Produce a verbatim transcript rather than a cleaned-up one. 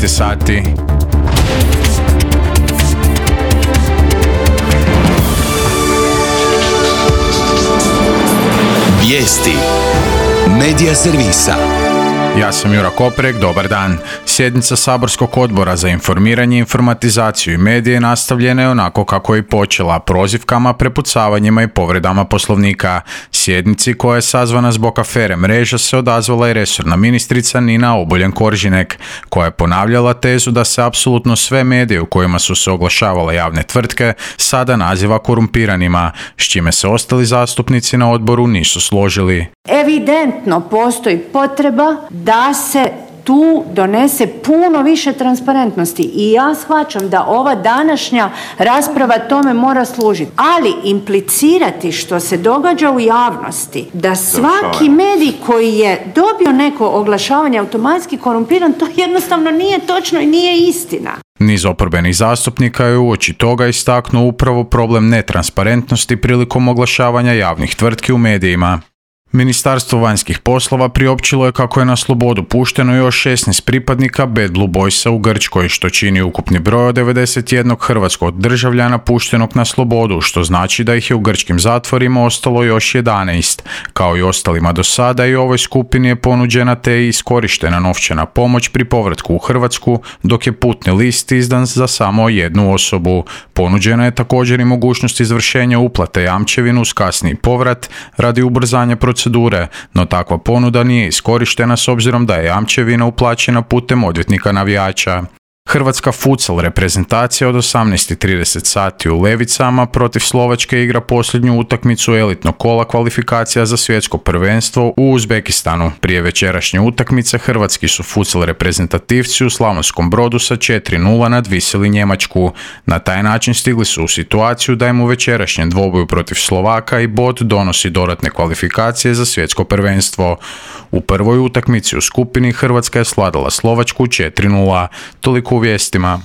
devet sati. Vijesti Medija servisa. Ja sam Jura Koprek, dobar dan. Sjednica Saborskog odbora za informiranje, informatizaciju i medije nastavljena je onako kako je i počela, prozivkama, prepucavanjima i povredama Poslovnika. Sjednici koja je sazvana zbog afere Mreža se odazvala i resorna ministrica Nina Obuljen-Koržinek, koja je ponavljala tezu da se apsolutno sve medije u kojima su se oglašavale javne tvrtke sada naziva korumpiranima, s čime se ostali zastupnici na odboru nisu složili. Evidentno postoji potreba da se tu donese puno više transparentnosti i ja shvaćam da ova današnja rasprava tome mora služiti. Ali implicirati što se događa u javnosti, da svaki medij koji je dobio neko oglašavanje automatski korumpiran, to jednostavno nije točno i nije istina. Niz oporbenih zastupnika je uoči toga istaknuo upravo problem netransparentnosti prilikom oglašavanja javnih tvrtki u medijima. Ministarstvo vanjskih poslova priopćilo je kako je na slobodu pušteno još šesnaest pripadnika Bad Blue Boysa u Grčkoj, što čini ukupni broj od devedeset jednog hrvatskog državljana puštenog na slobodu, što znači da ih je u grčkim zatvorima ostalo još jedanaest. Kao i ostalima do sada, i ovoj skupini je ponuđena te i iskorištena novčana pomoć pri povratku u Hrvatsku, dok je putni list izdan za samo jednu osobu. Ponuđena je također i mogućnost izvršenja uplate jamčevinu uz kasniji povrat radi ubrzanja procedure. procedure, no takva ponuda nije iskorištena s obzirom da je jamčevina uplaćena putem odvjetnika navijača. Hrvatska futsal reprezentacija od osamnaest i trideset sati u Levicama protiv Slovačke igra posljednju utakmicu elitnog kola kvalifikacija za svjetsko prvenstvo u Uzbekistanu. Prije večerašnje utakmice hrvatski su futsal reprezentativci u Slavonskom Brodu sa četiri nula nadvisili Njemačku. Na taj način stigli su u situaciju da im u večerašnjem dvoboju protiv Slovaka i bod donosi dodatne kvalifikacije za svjetsko prvenstvo. U prvoj utakmici u skupini Hrvatska je svladala Slovačku četiri nula. Toliko u vijestima.